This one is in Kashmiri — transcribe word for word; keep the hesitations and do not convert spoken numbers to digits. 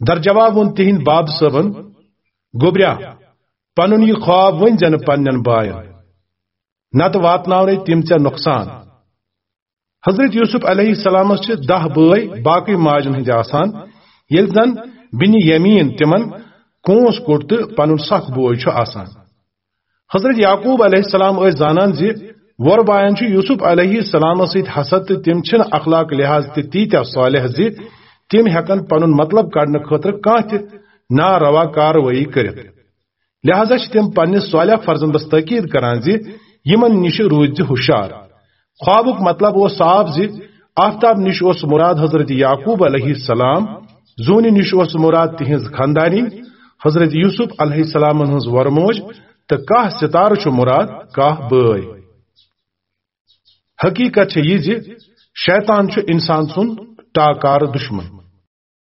در جواب ووٚن تِہنٛدۍ باب صٲبن، "گوٚبریا، پنُن یہِ خواب ؤنۍ زٮ۪نہٕ پننٮ۪ن باین، نتہٕ واتناونے تِم ژےٚ نۄقصان۔" حضرت یوسف علیہ السلامس چھِ دَہ بٲے باقٕے ماجن ہٕنٛدۍ آسان، ییٚلہِ زن بنی یمین تِمن کونٛس کوٚٹ تہٕ پنُن سکھ بوے چھُ آسان۔ حضرت یعقوب علیہ السلام ٲسۍ زانان زِ وۄر باین چھُ یوسف علیہ السلامس سۭتۍ حسد تہٕ تِم چھِنہٕ اخلاق لحاظ تہِ تیٖتیٛاہ صالح زِ تِم ہٮ۪کن پنُن مطلب کڑنہٕ خٲطرٕ کانٛہہ تہِ ناروا کاروٲیی کٔرِتھ۔ لہذا چھِ تِم پننِس صالح فرزندس تاکید کران زِ یِمن نِش روٗزِ ہُشار۔ خوابُک مطلب اوس صاف زِ آفتاب نِش اوس مراد حضرت یعقوب علیہ السلام، زوٗنہِ نِش اوس مراد تِہنٛز خاندارِنۍ، حضرت یوسف علیہ السلامن ہٕنٛز وۄرموج، تہٕ کاہ ستارٕ چھُ مراد کاہ بٲے۔ حقیقت چھےٚ یہِ زِ شیطان چھُ انسان سُنٛد ٹاکارٕ دشمن۔